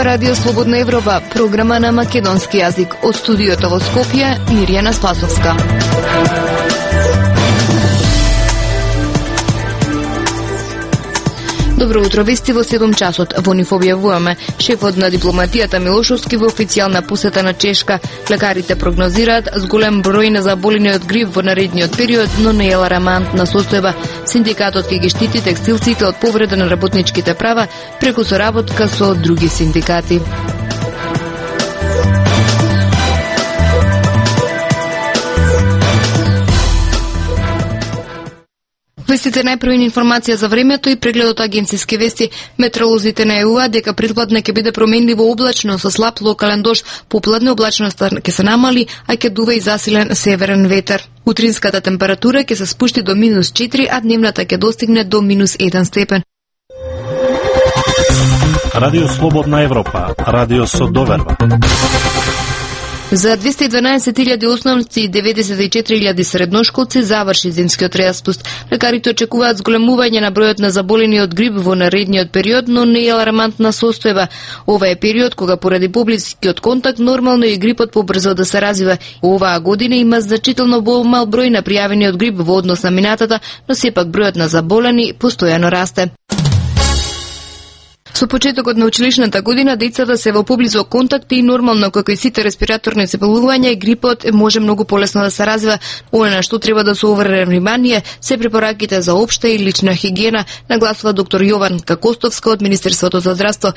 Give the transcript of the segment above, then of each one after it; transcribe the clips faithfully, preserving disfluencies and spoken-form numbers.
Радио Слободна Европа, програма на македонски јазик. Од студиото во Скопје, Мирјана Спасовска. Добро утро, вести во седум часот. Во нив објавуваме: шефот на дипломатијата Милошовски во официјална посета на Чешка. Лекарите прогнозираат с голем број на заболени од грип во наредниот период, но не е алармантна состојба. Синдикатот ќе ги штити текстилците од повреда на работничките права преку соработка со други синдикати. Вестите најпрвин информација за времето и прегледот агенциски вести. Метеоролозите најавуваат дека предпладне ќе биде променливо облачно со слаб локален дожд, попладне облачноста ќе се намали, а ќе дува и засилен северен ветер. Утринската температура ќе се спушти до минус четири, а дневната ќе достигне до минус еден степен. Радио Слободна Европа, радио со доверба. За двесте и дванаесет илјади основници и деветдесет и четири илјади средношколци заврши зимскиот распуст. Лекарите очекуваат зголемување на бројот на заболени од грип во наредниот период, но не е алармантна состојба. Ова е период кога поради поблискиот контакт нормално и грипот побрзо да се развива. Оваа година има значително помал број на пријавени од грип во однос на минатата, но сепак бројот на заболени постојано расте. Со почетокот на училишната година децата се во поблизок контакт и нормално како и сите респираторни заболувања и грипот може многу полесно да се развива. Оно на што треба да се обрне внимание се препораките за општа и лична хигиена, нагласува доктор Јованка Костовска од Министерството за здравство.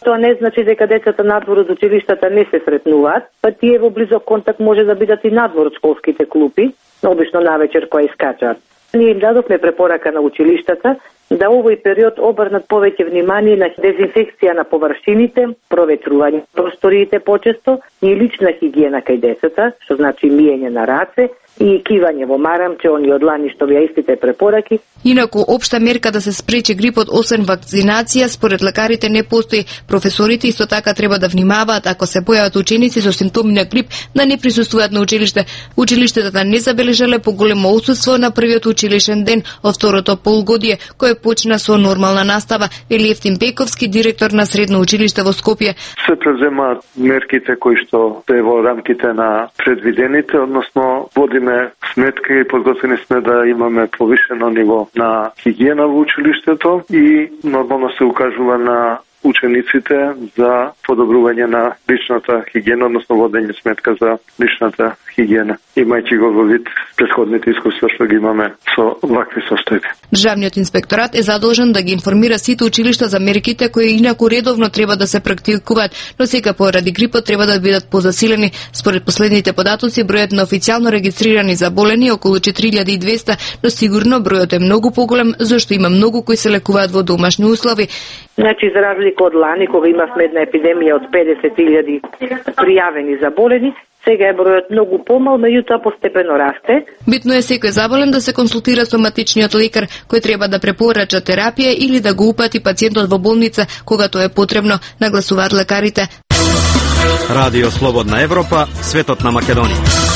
Тоа не значи дека децата надвор од училиштата не се сретнуваат, па тие во близок контакт може да бидат и надвор од школските клупи, обично навечер кога искачаат. Ние им дадовме препорака на училиштата да овој период обрнат повеќе внимание на дезинфекција на површините, проветрување просториите почесто и лична хигиена кај децата, што значи миење на раце и кивање во марамче, они од лани што беа истите препораки. Инаку, општа мерка да се спречи грипот освен вакцинација, според лекарите не постои. Професорите исто така треба да внимаваат ако се појават ученици со симптоми на грип да не присуствуваат на училиште. Училиштата не забележале поголемо отсуство на првиот училишен ден од второто полугодие, кој почна со нормална настава, вели Евтим Пековски, директор на средно училиште во Скопје. Се преземаат мерките кои што се во рамките на предвидените, односно водиме сметка и подготвени сме да имаме повишено ниво на хигиена во училиштето и нормално се укажува на учениците за подобрување на личната хигиена, односно водење сметка за личната хигиена, имајќи го во вид претходните искуства што ги имаме со вакви состојби. Државниот инспекторат е задолжен да ги информира сите училишта за мерките кои инаку редовно треба да се практикуваат, но сега поради грипот треба да бидат позасилени. Според последните податоци, бројот на официјално регистрирани заболени е околу четири илјади и двесте, но сигурно бројот е многу поголем, зашто има многу кои се лекуваат во домашни услови. Значи, за разлика од лани, кога имавме една епидемија од педесет илјади пријавени заболени, сега е бројот многу помал, меѓутоа постепено расте. Битно е секој заболен да се консултира со матичниот лекар, кој треба да препорача терапија или да го упати пациентот во болница кога тоа е потребно, нагласуваат лекарите. Радио Слободна Европа, светот на Македонија.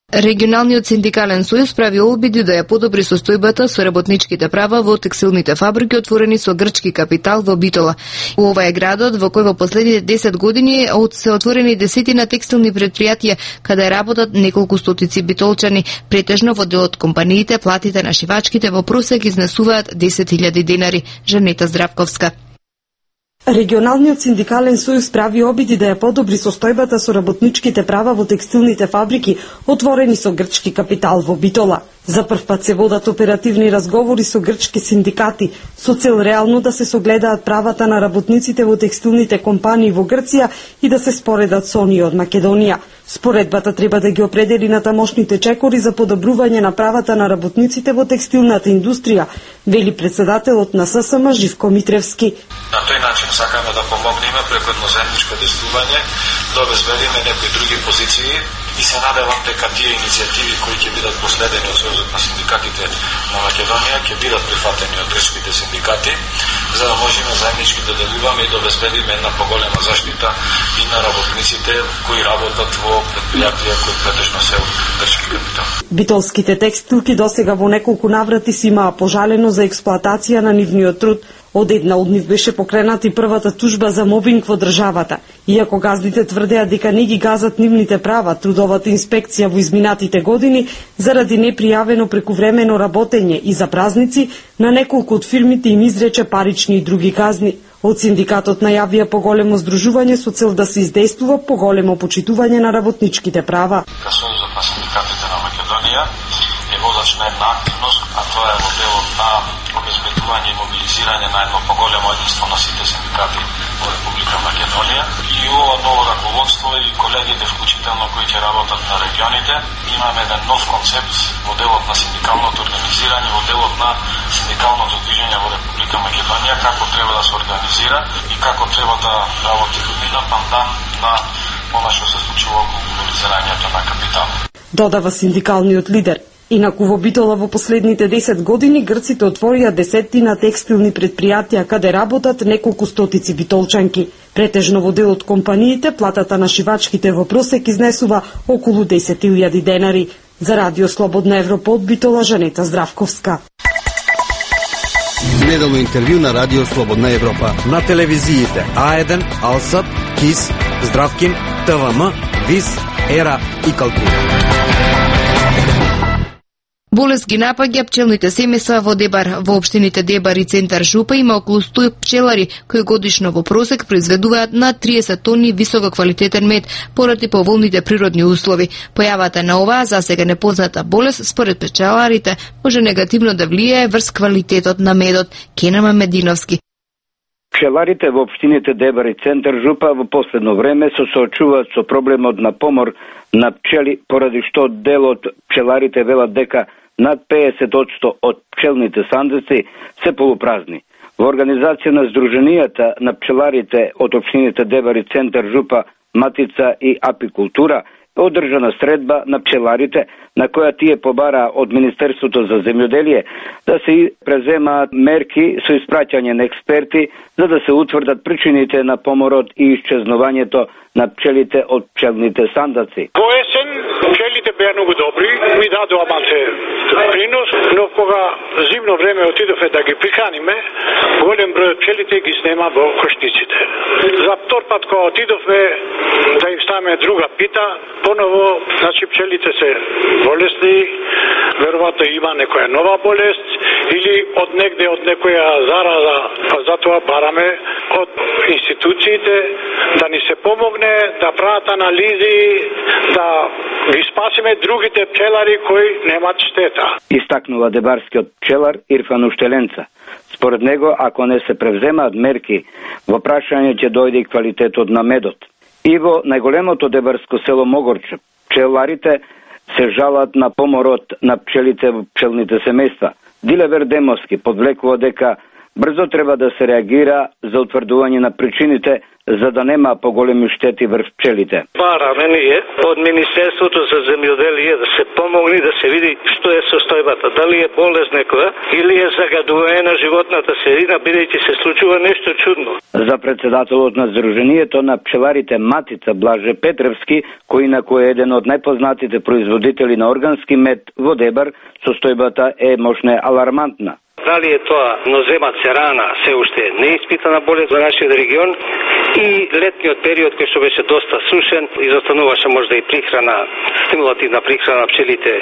Регионалниот синдикален сојуз прави обиди да ја подобри состојбата со работничките права во текстилните фабрики отворени со грчки капитал во Битола. Ова е градот во кој во последните десет години се отворени десетина текстилни предпријатија каде работат неколку стотици битолчани. Претежно во дел од компаниите платите на шивачките во просек изнесуваат десет илјади денари. Жанета Здравковска. Регионалниот синдикален сојуз прави обиди да ја подобри состојбата со работничките права во текстилните фабрики отворени со грчки капитал во Битола. За прв пат се водат оперативни разговори со грчки синдикати со цел реално да се согледаат правата на работниците во текстилните компании во Грција и да се споредат со оние од Македонија. Споредбата треба да ги определи на тамошните чекори за подобрување на правата на работниците во текстилната индустрија, вели председателот на С С М Живко Митревски. На тој начин сакаме да помогнеме преку едноземничко действување да обезбедиме некои други позиции и се надевам дека тие иницијативи кои ќе бидат последени од Сојузот на синдикатите на Македонија ќе бидат прифатени од грчките синдикати, за да можеме заеднички да делуваме и да обезбедиме една поголема заштита и на работниците кои работат во предпријатија кои претежно се од грчки капитал. Битолските текстилки досега во неколку наврати си имаа пожалено за експлоатација на нивниот труд Од една од нив беше покрената и првата тужба за мобинг во државата. Иако газдите тврдеа дека не ги газат нивните права, трудовата инспекција во изминатите години заради непријавено прекувремено работење и за празници на неколку од фирмите им изрече парични и други казни. Од синдикатот најавија поголемо здружување со цел да се издействува поголемо почитување на работничките права. Сојузот на синдикатите на Македонија е водач на една активност, а тоа е во делот на обезбедување и мобилизирање на едно поголемо единство на сите синдикати во Република Македонија. И ова ново раководство и колегите, вклучително кои ќе работат на регионите, имаме еден нов концепт во делот на синдикалното организирање, во делот на синдикалното движење во Република Македонија, како треба да се организира и како треба да работи година пандан на она што се случува околу мобилизирањето на капитал. Додава синдикалниот лидер. Инаку во Битола во последните десет години грците отворија десеттина текстилни предпријатија каде работат неколку стотици битолчанки. Претежно во дел од компаниите платата на шивачките во просек изнесува околу десет илјади денари. За Радио Слободна Европа од Битола, Жанета Здравковска. Неделно интервју на Радио Слободна Европа. На телевизиите А еден, Алсат, КИС, Здравкин, ТВМ, ВИС, Ера и Калтура. Болест ги напаѓа пчелните семејства во Дебар. Во општините Дебар и Центар Жупа има околу сто пчелари кои годишно во просек произведуваат над триесет тони висококвалитетен мед поради поволните природни услови. Појавата на оваа засега непозната болест според пчеларите може негативно да влијае врз квалитетот на медот. Кенама Мединовски. Пчеларите во општините Дебар и Центар Жупа во последно време се соочуваат со проблемот на помор на пчели, поради што дел од пчеларите велат дека над петдесет одсто од пчелните сандици се полупразни. Во организација на Сдруженијата на пчеларите од општините Дебар и Центар Жупа, Матица и Апикултура е одржана средба на пчеларите, на која тие побараа од Министерството за земјоделие да се преземаат мерки со испраќање на експерти за да се утврдат причините на поморот и исчезнувањето на пчелите од пчелните сандаци. Во есен пчелите беа многу добри, ми дадоа малце принос, но кога зимно време отидовме да ги приканиме, голем број од пчелите ги снема во кошниците. За втор пат кога отидовме да им ставиме друга пита, поново, значи пчелите се болесни, веројатно има некоја нова болест или од негде од некоја зараза, па затоа бараме од институциите да ни се помогне, да прават анализи, да ги спасиме другите пчелари кои немат штета. Истакнува дебарскиот пчелар Ирфан Уштеленца. Според него, ако не се превземаат мерки, во прашање ќе дојде и квалитетот на медот. И во најголемото дебарско село Могорче, пчеларите се жалат на поморот на пчелите во пчелните семејства. Дилевер Демовски подвлекува дека брзо треба да се реагира за утврдување на причините за да нема поголеми штети врз пчелите. Бараме ние од Министерството за земјоделие да се помогне да се види што е состојбата, дали е болест некоја или е загадување на животната средина, бидејќи се случува нешто чудно. За председателот на Сдруженијето на пчеларите Матица Блаже Петревски, кој инаку е еден од најпознатите производители на органски мед во Дебар, состојбата е мощна алармантна. Дали е тоа нозема церана се уште неиспитана болест во нашиот регион и летниот период кој што беше доста сушен, изостануваше можда и прихрана, стимулативна прихрана на пчелите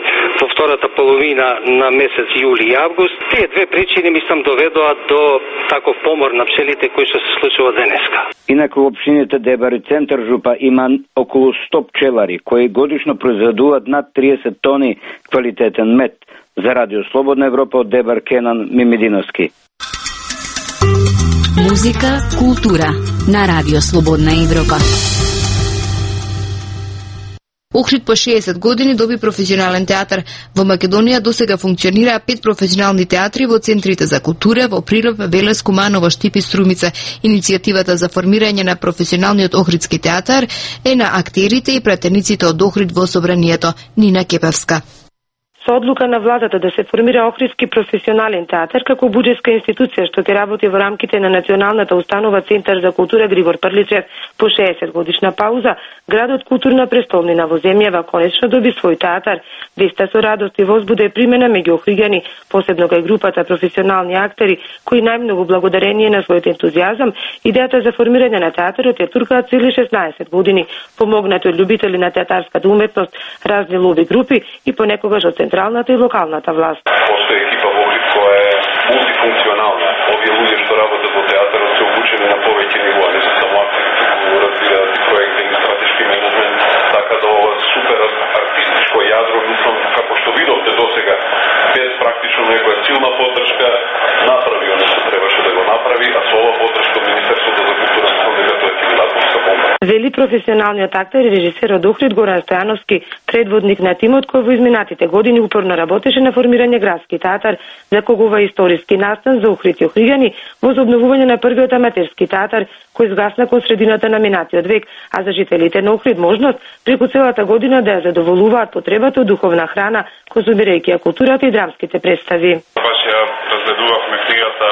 во втората половина на месец јули и август. Тие две причини мислам доведоа до таков помор на пчелите кој што се случува денеска. Инаку во општините Дебар и Центар Жупа има околу сто пчелари кои годишно произведуваат над триесет тони квалитетен мед. За Радио Слободна Европа од Дебар, Кенан Мимединовски. Музика, култура на Радио Слободна Европа. Охрид по шеесет години доби професионален театар. Во Македонија досега функционираа пет професионални театри во центрите за култура во Прилеп, Велес, Куманово, Штип и Струмица. Иницијативата за формирање на професионалниот Охридски театар е на актерите и пратениците од Охрид во собранието. Нина Кепевска. Со одлука на владата да се формира Охридски професионален театар како буџетска институција што ќе работи во рамките на Националната установа Центар за култура Григор Прличев по шеесет годишна пауза, градот културна престолнина во земјава конечно доби свој театар. Веста со радост и возбуда е примена меѓу охриѓани, посебно кај групата професионални актери кои најмногу благодарение на својот ентузијазам, идејата за формирање на театарот ја туркаат цели шеснаесет години, помогнати од љубители на театарската уметност, разни лоби групи и понекогаш од централната и локалната власт. Постои екипа во Охрид која е мултифункционална. Овие луѓе што работат во театарот се обучени на повеќе нивоа, не се само актери, туку разбираат и проекти и стратешки менеджмент, така да ова супер артистичко јадро, мислам, како што видовте досега, без практично некоја силна поддршка, направи оно што требаше да го направи, а со ова поддршка од Министерството за култура, мислам дека тоа ќе биде атомска бомба. Вели професионалниот актер и режисер од Охрид Горан Стојановски, предводник на тимот кој во изминатите години упорно работеше на формирање градски театар, за кого историски настан за Охрид и охриѓани во обновување на првиот аматерски театар кој згасна кон средината на минатиот век, а за жителите на Охрид можност преку целата година да ја задоволуваат потребата од духовна храна, конзумирајќи ја културата и драмските представи. Баш ја разгледувавме книгата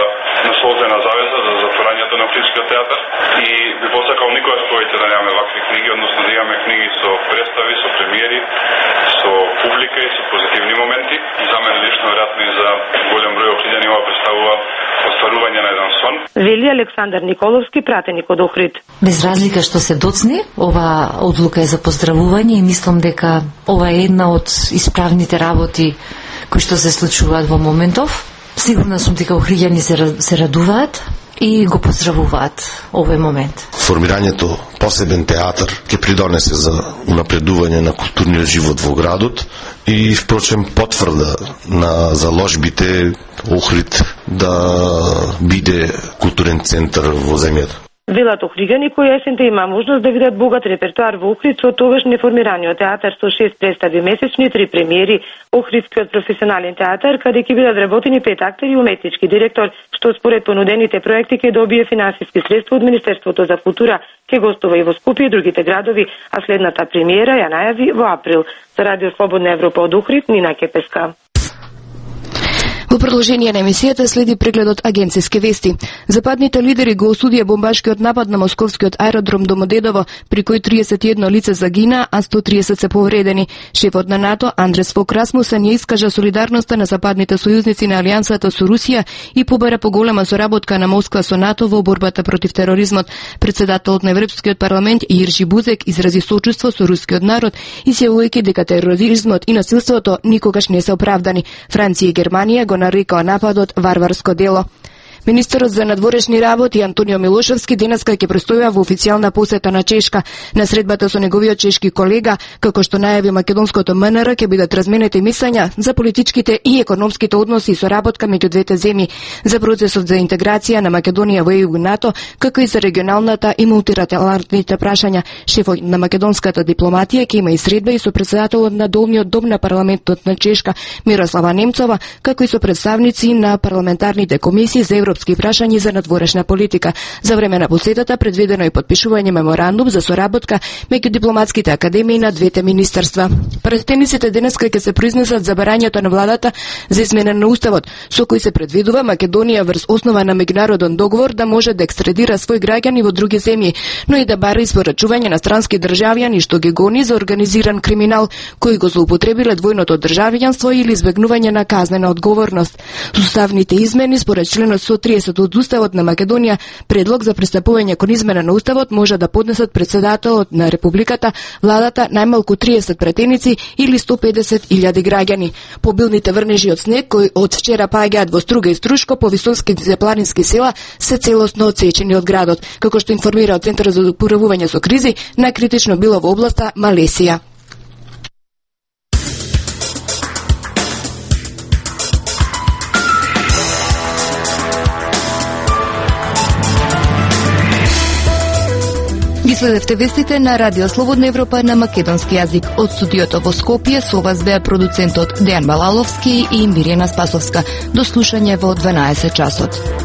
Насолзена завеза за затворањето на Охридскиот театар и би посакал никогаш повеќе да немаме вакви книги, односно да имаме книги со представи, со премиери, со публика и со позитивни моменти. И за мене лично, веројатно и за голем број охриѓани, ова представува остварување на еден сон. Вели Александар Николовски, пратеник од Охрид. Без разлика што се доцни, ова одлука е за поздравување и мислам дека ова е една од исправните работи кои што се случуваат во моментов. Сигурна сум дека охриѓани се, се радуваат и го поздравуваат овој момент. Формирањето посебен театар ќе придонесе за унапредување на културниот живот во градот и впрочем потврда на заложбите Охрид да биде културен центар во земјата. Велат охриѓани кои есента има можност да видат богат репертоар во Охрид со тогаш неформираниот театар со шест представи месечни и три премиери. Охридскиот професионален театар, каде ќе бидат вработени пет актери и уметнички директор, што според понудените проекти ќе добие финансиски средства од Министерството за култура, ќе гостува и во Скопје и другите градови, а следната премиера ја најави во април. За Радио Слободна Европа од Охрид, Нина Кепеска. Во продолжение на емисијата следи прегледот агенцијски вести. Западните лидери го осудија бомбашкиот напад на московскиот аеродром Домодедово, при кој триесет и едно лице загина, а сто триесет се повредени. Шефот на НАТО Андрес Фок Расмусен ја искажа солидарноста на западните сојузници на алијансата со Русија и побара поголема соработка на Москва со НАТО во борбата против тероризмот. Председателот на Европскиот парламент Иржи Бузек изрази сочувство со рускиот народ, изјавувајќи дека тероризмот и насилството никогаш не се оправдани. Франција и Германија го нарекоа нападот варварско дело. Министерот за надворешни работи Антонио Милошевски денеска ќе престојува во официјална посета на Чешка. На средбата со неговиот чешки колега, како што најави македонското М Н Р, ќе бидат разменети мислења за политичките и економските односи и соработка меѓу двете земји, за процесот за интеграција на Македонија во Е Ју и НАТО, како и за регионалната и мултилатералните прашања. Шефот на македонската дипломатија ќе има и средба и со председателот на долниот дом на парламентот на Чешка Мирослава Немцова, како и со представници на парламентарните комисии за европски прашања за надворешна политика. За време на посетата предвидено и подпишување меморандум за соработка меѓу дипломатските академии на двете министерства. Пратениците денеска ќе се произнесат за барањето на владата за измена на уставот, со кој се предвидува Македонија врз основа на меѓународен договор да може да екстрадира свој граѓани во други земји, но и да бара испорачување на странски државјани што ги гони за организиран криминал кои го злоупотребиле двојното државјанство или избегнување на казнена одговорност. Уставните измени според членот сто триесет од Уставот на Македонија, предлог за пристапување кон измена на Уставот може да поднесат председателот на Републиката, владата, најмалку триесет пратеници или сто педесет илјади граѓани. Побилните врнежи од снег кои од вчера паѓаат во Струга и Струшко по високите планински села се целосно отсечени од градот, како што информира од Центарот за управување со кризи, најкритично било во областа Малесија. Ги следевте вестите на Радио Слободна Европа на македонски јазик. Од студиото во Скопје со вас беа продуцентот Дејан Балаловски и Мирјана Спасовска. До слушање во дванаесет часот.